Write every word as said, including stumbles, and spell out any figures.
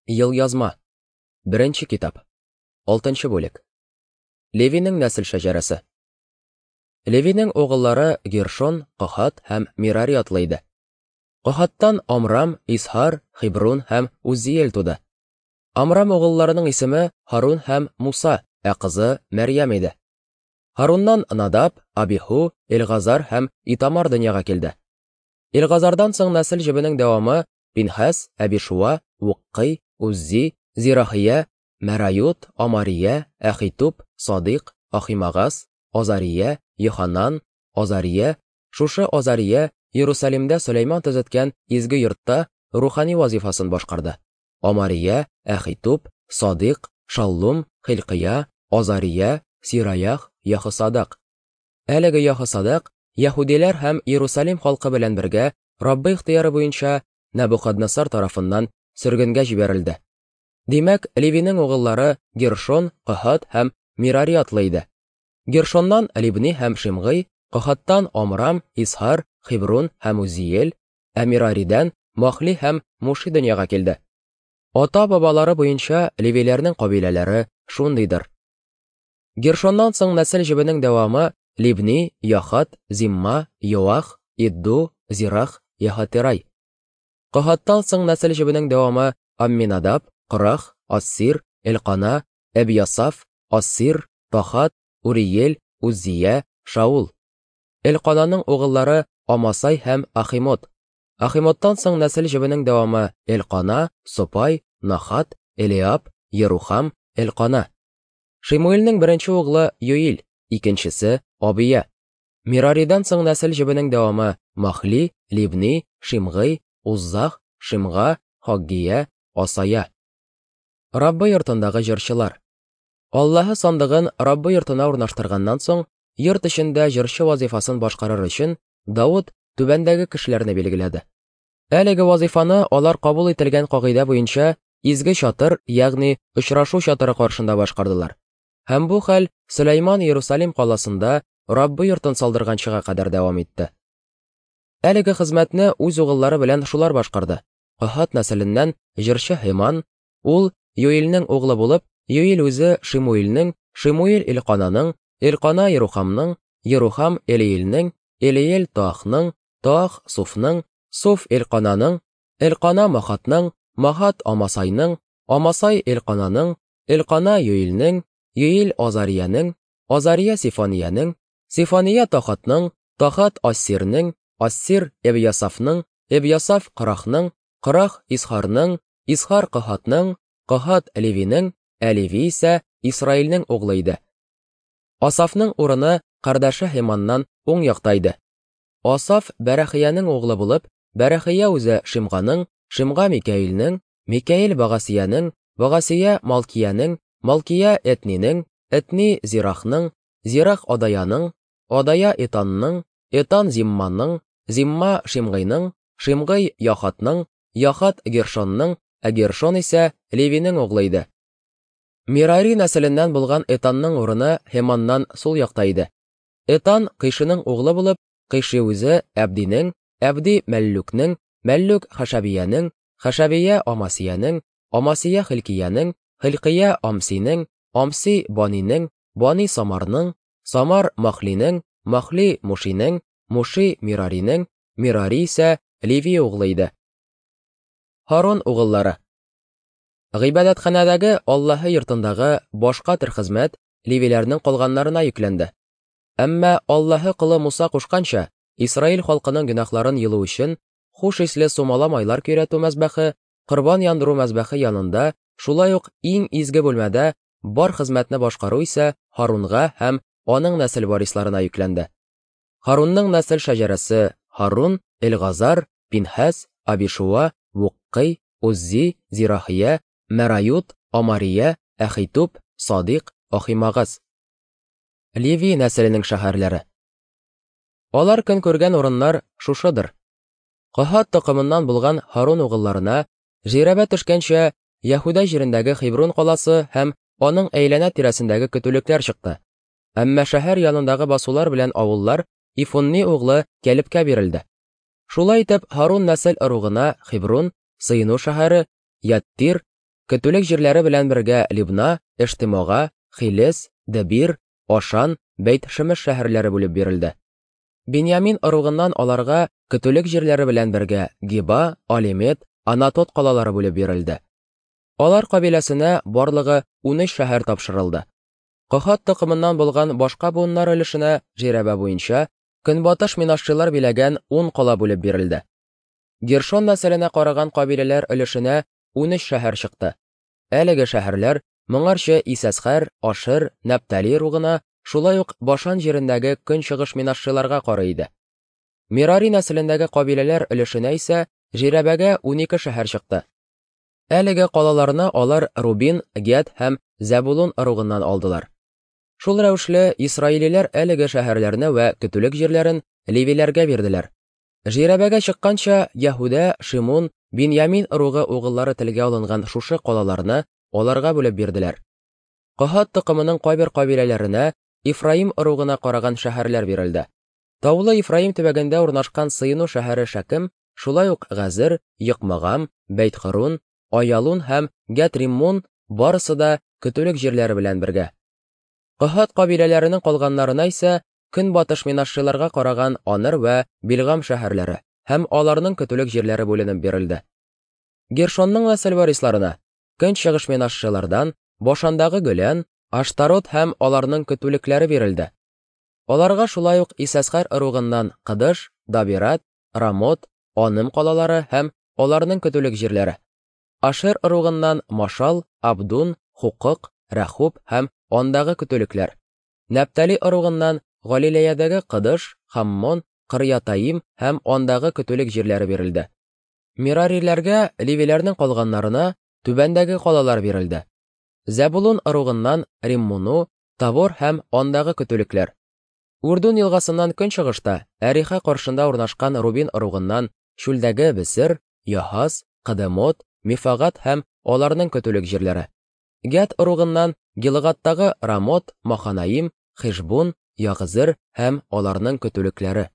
Елъязма. Беренче китап. Алтынчы бүлек. Левиның нәсел шәҗәрәсе. Левиның угыллары Гершон, Кахат һәм Мирари атлы иде. Кахаттан Амрам, Исһар, Хебрун һәм Уззиел туды. Амрам угылларының исеме Һарун һәм Муса, ә кызы Мәрьям иде. Һаруннан Надаб, Абиху, Элгазар һәм Итамар дөньяга килде. Элгазардан соң нәсел җебенең дәвамы Пинхас, Абишуа, Вуккый, Уззи, Зирахия, Мәрают, Амария, Ахитуб, Садыйк, Ахимагас, Азария, Йоханан, Азария. Шушы Азария Иерусалимдә Сөләйман төзеткән изге йортта рухани вазифасын башкарды. Амария, Ахитуб, Садыйк, Шаллум, Хилкия, Азария, Сираях, Яхосадак. Әлеге Яхосадак яһүдиләр һәм Иерусалим халкы белән бергә Раббы ихтыяры буенча Нәбухаднессар тарафыннан сөргенгә җибәрелде. Димәк, Левиның угыллары Гершон, Кахат һәм Мирари атлы иде. Гершоннан Либни һәм Шимгый, Кахаттан Амрам, Исһар, Хебрун һәм Узиел, ә Мираридән Махли һәм Муши дөньяга килде. Ата-бабалары буенча левиләрнең кабиләләре шундыйдыр. Гершоннан соң нәсел җебенең дәвамы Либни, Яхат, Зимма, Йоах, Идду, Зирах, Яхатерай. Кахаттан соң нәсел җебенең дәвамы Амминадаб, Корах, Ассир, Элкана, Әбиясаф, Ассир, Тахат, Уриел, Уззия, Шаул. Элкананың угыллары Амасай һәм Ахимот. Ахимоттан соң нәсел җебенең дәвамы Элкана, Сопай, Нахат, Элиаб, Ерухам, Элкана. Шимуилнең беренче углы Юил, икенчесе Абия. Мираридан соң нәсел җебенең дәвамы Махли, Либни, Шимгый, Уззах, Шимга, Хаггия, Асая. Раббы йортындагы җырчылар. Аллаһы сандыгын Раббы йортына урнаштырганнан соң, йорт эчендә җырчы вазифасын башкарыр өчен Давыт түбәндәге кешеләрне билгеләде. Әлеге вазифаны алар кабул ителгән кагыйдә буенча изге чатыр, ягъни очрашу чатыры каршында башкардылар. Һәм бу хәл Сөләйман Иерусалим каласында Раббы йортын салдырганчыга кадәр дәвам итте. Әлеге хезмәтне үз угыллары белән шулар башкарды. Кахат нәселеннән җырчы Һеман, ул Юилнең углы булып, Юил үзе Шимуилнең, Шимуил Элкананың, Элкана Ерухамның, Ерухам Элиилнең, Элиел Таахның, Таах Суфның, Суф Элкананың, Элкана Махатның, Махат Амасайның, Амасай Элкананың, Элкана Юилнең, Юил Азариянең, Азария Сифаниянең, Сифания Тахатның, Тахат Ассирнең, Ассир Эбиясафның, Эбиясаф Корахның, Корах Исхарның, Исхар Кахатның, Кахат Левинең, ә Леви исә Исраилнең углы иде. Асафның урыны кардәше Һеманнан уң якта иде. Асаф Бәрәхиянең углы булып, Бәрәхия үзе Шимганың, Шимга Микаилнең, Микаил Багасиянең, Багасия Малкиянең, Малкия Этнинең, Этни Зирахның, Зирах Адаяның, Адая Этанның, Этан Зимманың, Зимма Шимгыйның, Шимгый Яхатның, Яхат Гершонның, ә Гершон исә Левинең углы иде. Мирари нәселеннән булган Этанның урыны Һеманнан сул якта иде. Этан Кыйшының углы булып, Кыйши үзе Әбдинең, Әбди Мәллүкнең, Мәллүк Хашабиянең, Хашабия Амасиянең, Амасия Хилкиянең, Хилкия Амсинең, Амси Банинең, Бани Самарның, Самар Махлинең, Махли Мушинең, Муши Мираринең, Мирари исә Леви углы иде. Һарун угыллары. Гыйбадәтханәдәге Аллаһы йортындагы башка төр хезмәт левиләрнең калганнарына йөкләнде. Әмма Аллаһы колы Муса кушканча, Исраил халкының гөнаһларын йылу өчен хуш исле сумала майлар көйрәтү мәзбәхе, корбан яндыру мәзбәхе янында, шулай ук иң изге бүлмәдә бар хезмәтне башкару исә Һарунга һәм аның нәсел варисларына йөкләнде. Һарунның нәсел шәҗәрәсе: Һарун, Элгазар, Пинхас, Абишуа, Вуккый, Уззи, Зирахия, Мәрают, Амария, Ахитуб, Садыйк, Ахимагас. Леви нәселенең шәһәрләре. Алар көн күргән урыннар шушыдыр. Кахат токымыннан булган Һарун угылларына жирәбә төшкәнчә Яһүдә җирендәге Хебрун каласы һәм аның әйләнә тирәсендәге көтүлекләр чыкты. Әмма шәһәр янындагы басулар белән авыллар Ифунни углы Кәлебкә бирелде. Шулай итеп, Һарун нәсел ыругына Хебрун, сыену шәһәре, Яттир, көтүлек җирләре белән бергә Либна, Эштемога, Хилес, Дебир, Ашан, Бәйт-Шемеш шәһәрләре бүлеп бирелде. Биньямин ыругыннан аларга көтүлек җирләре белән бергә Гиба, Алимет, Анатот калалары бүлеп бирелде. Алар кабиләсенә барлыгы унөч шәһәр тапшырылды. Кохат токымыннан булган башка буыннар өлешенә жирәбә буенча көнбатыш минашчылар биләгән ун кала бүлеп бирелде. Гершон нәселенә караган кабиләләр өлешенә унөч шәһәр чыкты. Әлеге шәһәрләр моңарчы Исәсхәр, Ашер, Нәптали ыругына, шулай ук Башан җирендәге көнчыгыш минашчыларга карый иде. Мирари нәселендәге кабиләләр өлешенә исә жирәбәгә унике шәһәр чыкты. Әлеге калаларны алар Рубин, Гәд һәм Зәбулун ыругыннан алдылар. Шул рәвешле исраилиләр әлеге шәһәрләрне вә көтүлек җирләрен левиләргә бирделәр. Жирәбәгә чыкканча Яһүдә, Шимун, Биньямин ыругы угыллары телгә алынган шушы калаларны аларга бүлеп бирделәр. Кохат токымының кайбер кабиләләренә Ифраим ыругына караган шәһәрләр бирелде. Таулы Ифраим төбәгендә урнашкан сыену шәһәре Шәкем, шулай ук Газер, Йыкмагам, Бәйт-Хөрун, Аялун һәм Гәт-Риммон барысы да көтүлек җирләре белән бергә. Кохат кабиләләренең калганнарына исә көнбатыш минашчыларга караган Аныр вә Билгам шәһәрләре һәм аларның көтүлек җирләре бүленеп бирелде. Гершонның нәсел варисларына көнчыгыш минашчылардан Башандагы Гөлән, Аштарот һәм аларның көтүлекләре бирелде. Аларга шулай ук Исәсхәр ыругыннан Кыдыш, Дабират, Рамот, Аным калалары һәм аларның көтүлек җирләре. Ашер ыругыннан Машал, Абдун, Хукык, Рәхуб һәм андагы көтүлекләр. Нәптали ыругыннан Галилеядәге Кыдыш, Хаммон, Кырьятаим һәм андагы көтүлек җирләре бирелде. Мирариләргә, левиләрнең калганнарына түбәндәге калалар бирелде. Зәбулун ыругыннан Риммуну, Тавор һәм андагы көтүлекләр. Урдун елгасыннан көнчыгышта Әриха каршында урнашкан Рубин ыругыннан чүлдәге Бесер, Яһаз, Кыдемот, Мифагат һәм аларның көтүлек җирләре. Гәд ыругыннан Гилгаттагы Рамот, Маханаим, Хишбун, Ягызыр һәм аларның көтүлекләре.